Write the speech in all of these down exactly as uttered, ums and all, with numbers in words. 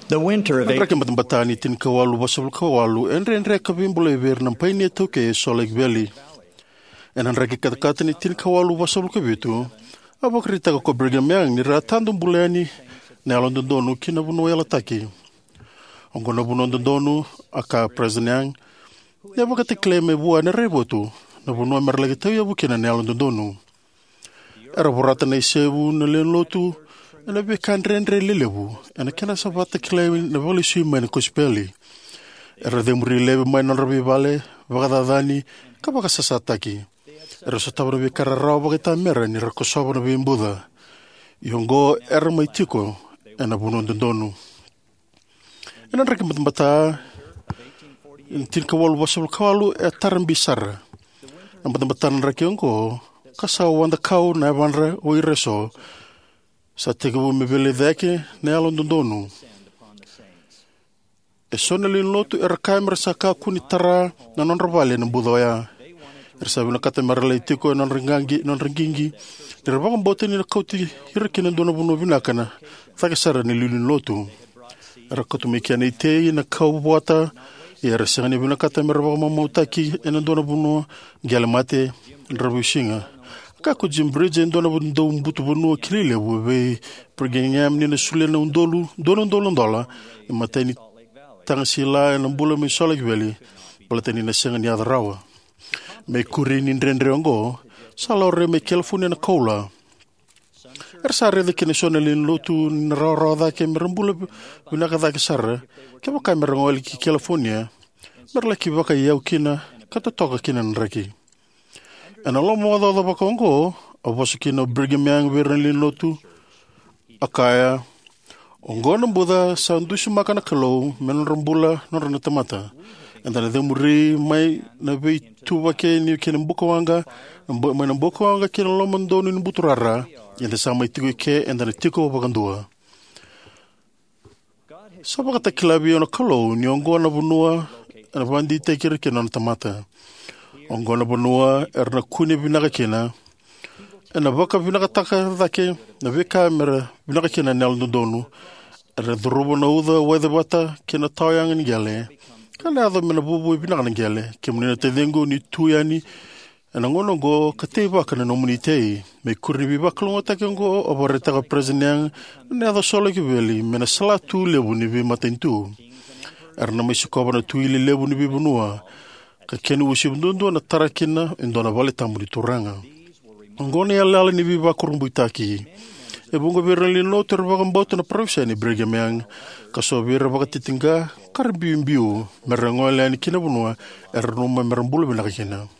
The winter of Rake matbatani tin kawalu basabul kawalu en ren reka bimbule ver nam paine toke Salt Lake Valley. En an rake katakatani tin kawalu basabul kabitu. Abakrita ko Brigham Young ni ratando bulani ne alondonu kina bunu ela taki. Ongono bunu donu aka President Young. Ya bakati kleme bua ne rebotu. Na bunu merlagi tayo bukina ne alondonu. Era borata na isebu na lenlotu. Ena be kan rendre lelebu. Ena kena sabata kleme na voli sima na kospeli. Era demuri lebe mai na rabi vale. Vagadadani kabaka sasataki. Era sotabra be kararao bagita mera ni rakosoba na bimbuda. Yongo era mai tiko ena bunu dondonu. Ena raki matambata tin kawalu basabul kawalu e tarambi sarra. Ang matambatan raki yongo kasaw wanda kau na vanra o ireso sa tegabu mebele deke na alon dondonu. E sonelin lotu era kamera sa kakuni tara na nonrabali na budoya. Ersabi na kata maralay tiko non ringangi non ringingi. Dirabang bote ni na kauti hirakin na doon na buno binakana. Takasara ni lulun lotu. Era katumikia na ite na kaubuata. Era siya ni binakata marabang mamautaki na doon na buno gialamate rabushinga. Kako Jim Bridge en doon na buno daw buto buno kilile bube pergengam ni na sule na undolu doon doon dola. Imatay ni tangasila na bula may Salt Lake Valley. Palatay ni na siya ni adarawa. Me kurin in rendre ongo, salore me California na kola. Ersare de kinesonel in lotu nara da ke merambula binaka da ke sarra, ke baka merangol ki California, merla ki baka yau kina, kata toka kina nraki. Ana lo mo da baka ongo, abasu kina Brigham Young verlin lotu, akaya, ongo na buda sa ndusu makana kalo, menrambula nora na tamata. Andana de muri mai na be tuwa ke ni ke mbukawanga mbo mai mbukawanga ke lo mando ni buturara yende sama tigo ke andana tiko bagandua sabaka ta klabi ona kalo ni ongo na bunua na bandi te kire ke non tamata ongo na bunua erna kuni binaka kena na baka binaka taka dake na be kamera binaka kena nel donu er drubo na uda weather bata kena tayang ni gale. Kala ada mena bubu ibina kana gele kemuna te dengo ni tuyani ana ngono go kateba kana no munite me kuribi baklonga ta kengo oboreta ka president ne ada Salt Lake Valley mena sala tu lebu ni bi matentu erna me sikoba na tuile lebu ni bi bunua ka kenu usibundu na tarakina indona vale tamuri turanga ngone yalla ni bi bakurumbuitaki e bungo berli no terbaga mbota na province ni Brigham Young kaso bira baga titinga karbimbiu merangola ni kina bunua ernuma merambulu binaka kina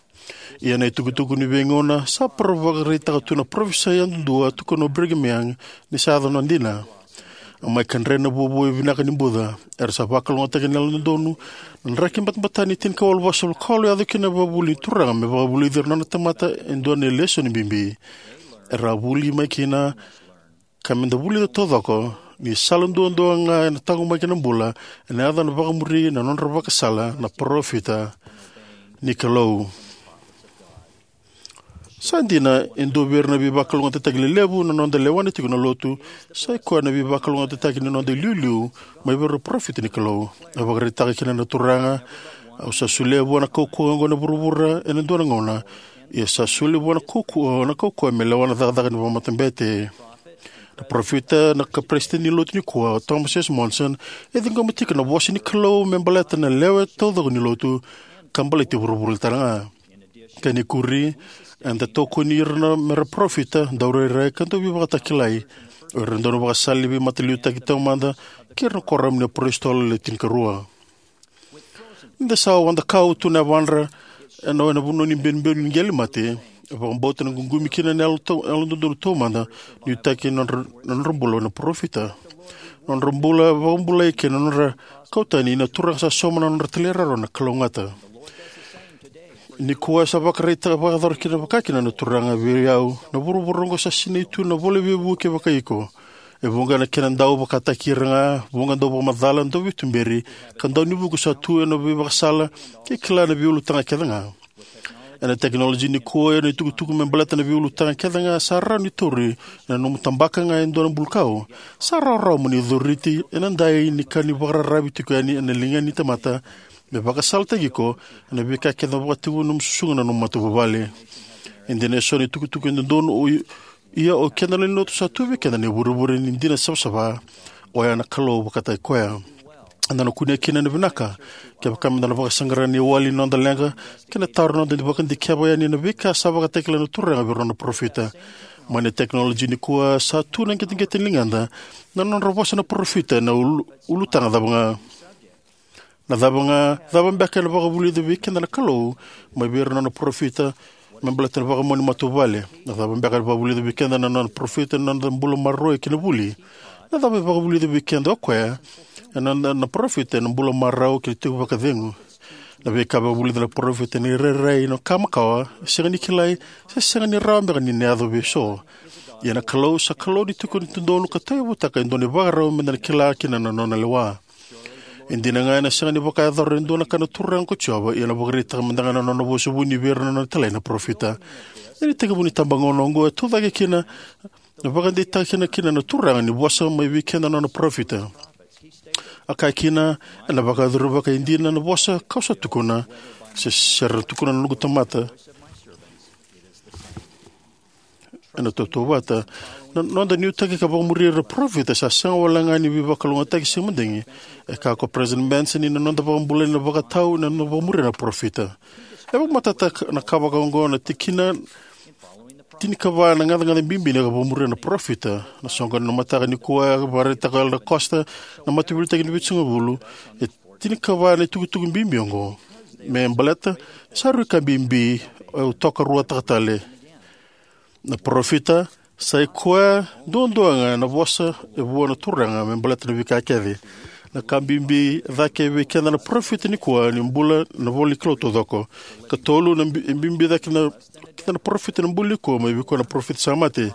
ia na tukutuku ni bengona sa provaga rita tuna province yang dua tukono Brigham Young ni sa no ndina amai kanrena bubu binaka ni buda er sa bakal ngota kenal ndonu nrakim batbatani tin kawal wasol kolo ya kina babuli turanga me babuli dirna tamata endone lesson bimbi erabuli makina kamenda buli to todoko ni salundu ndo nga na tangu makina bula na ada na baka muri na non baka sala na profita ni kalau sandina endo berna bi bakal ngonte tagle lebu na non de lewane tigno lotu sai ko na bi bakal ngonte tagne non de lulu mai ber profit ni kalau abagre takina na turanga au sa sulebu na koko ngona burubura ene ndo ngona ya sa sulebu na koko na koko me lewana da da ni matembete na profita na kapreste ni lotu ni ko Thomas S. Monson e dingo matika na wasi ni klo membaleta na lewe todo ni lotu kambalete burubul taranga kani kuri anda toko ni rna mera profita daure re kanto bi bata kilai rendo no basali bi matliuta kita manda kirno koram ni prestol le tinkarua nda sa wanda kau tu na wanra no na bunu ni ben ben ngel mate Vang bota na gungumi kina nelo to elo do to manda ni taki non non rombulo na profita non rombula rombula ke non ra kautani na turang sa soma non telera na klongata ni kuwa sa bakrita ba dar kina bakakina na turanga biriau na buru burongo sa sinitu na vole bebu ke bakaiko e bunga na kina ndau bakata kiranga bunga do bo madala ndo vitumberi kan do ni buku sa tu no bi bakasala ke klana biulu tanga kedanga ena teknologi ni kua ena tuku-tuku me balata na viulu tanga keda nga sa rau ni turi na nomu tambaka nga endona bulkau sa rau rau mani dhuriti ena ndai ni kani wakararabi tuku yani ena linga ni tamata me baka salta giko ena bika keda wakativu nomu susunga na nomu matu babale indina so ni tuku-tuku ena dono ia o kenda ni notu sa tuwe kenda ni buruburi ni indina sabsaba o ya na kalo wakatai koea anda no kunia kina na vinaka kia baka manda na baka sangara ni wali nonda lenga kina taur nonda ni baka ndikia ya ni na vika sa baka tekla na turanga virona profita mane teknologi ni kuwa sa tu na ngeti ngeti linganda na non robosa na profita na ulutanga dabanga na dabanga dabang baka na baka buli dabi kina na kalo mai virona na profita membelata na baka moni matubale na dabang baka na baka buli dabi kina na non profita na mbula marroi kina buli na dabang baka buli dabi kina okwe na na profit na bula marau ki tu baka dengu na be ka buli na profit ni rere no kamakawa senga ni kilai se senga ni ramba ni neado be so ya na close close ni tu ko ni ndonu ka tayo butaka ndoni bagaro me na kila kina na nona lewa indina nga na senga ni baka dor ndona kana turang ko choba ya na bogrita mandanga na nona bo subu ni ver na tele na profita ni tega buni tambangono ngo tu dage kina na baka de ta kina kina na turang ni bosa mai weekend na nona profita akai kina na baka duru baka indina na bosa kausa tukuna se ser tukuna nugu tamata ana toto wata no da new take ka bamuri re profit sa sang wala ngani bi baka lunga take se mundengi e ka ko president Benson ni no da bambule na baka tau na no bamuri na profita e bak matata na ka baka ngo na tikina tini kawa na ngada ngada bimbi na kabumuri na profita na songa na mata ni kuwa barita ka na costa na matibulita ni bitsunga bulu e tini kawa na tuku tuku bimbi ngo me mbalata saru ka bimbi o toka rua takatale na profita sai kuwa dondoanga na bosa e buona turanga me mbalata na vika kedi na kambimbi dhake wikenda na profita ni kuwa ni mbula na voli kloto dhoko katolu na bimbi dhake na kita na profit na mbuli ko mai biko na profit samate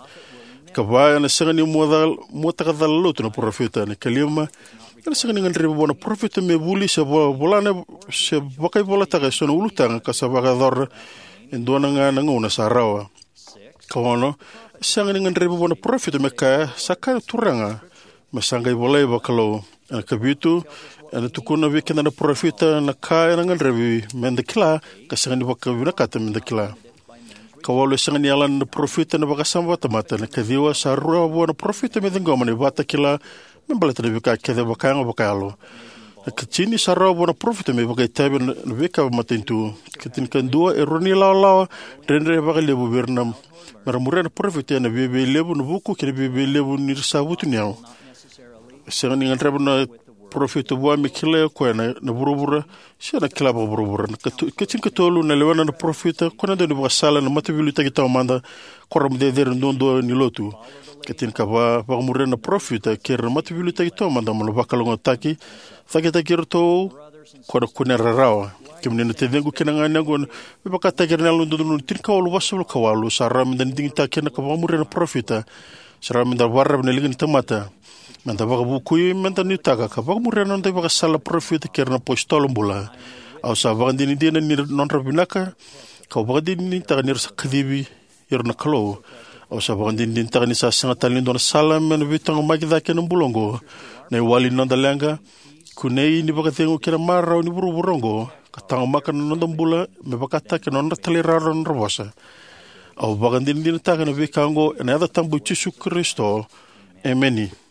kabaya na senga ni modal mota ka dalo na profit na kalima na senga ni ngandri bona profit me buli se bolana se bakai bola ta so no ulutanga ka sa baga dor endona nga na ngona sarawa kawono senga ni ngandri bona profit me ka saka turanga masanga bola bakalo na kabitu ana tukuna wikenda na profit na ka na ngandri mendekla ka senga ni bakavina kata mendekla kawalo senga ni alan na profita na baka samba tamata na kadiwa sa rua buona profita me dengoma ni bata kila membalata na bika kede baka nga baka alo na kachini sa rua buona profita me baka itabi na bika matintu katin kandua e roni lao lao rendre baka lebu bernam maramura na profita na bebe lebu na buku kene bebe lebu ni sabutu niao senga ni ngantrabu na profita bua mikile kwa na na burubura sia na kila burubura kacin katolu na lewana na profita kona de bua sala na matabilu ta kita manda koram de der ndondo ni lotu katin ka ba ba murre na profita ker matabilu ta kita manda mo bakalongo taki faketa kirto kona kuna rarawa kimne na tedengu kina ngana gon ba ka ta kernal ndondo tin ka wolu wasul ka walu saram dan ding ta kena ka ba murre na profita saram da warab na ligin tamata manta baka bukui manta ni taka ka baka murre non baka sala profit kerna postol mbula au sa baka dini dina ni non rabinaka ka baka dini taka ni sakdibi yerna kalo au sa baka dini taka ni sa sanga talin don sala men vitang magida ken mbulongo ne wali non dalanga kunei ni baka tengu kera mara ni buru burongo ka tanga makan non mbula me baka taka non talira non robosa au baka dini dina taka ni vikango na ada tambu Yesu Kristo emeni.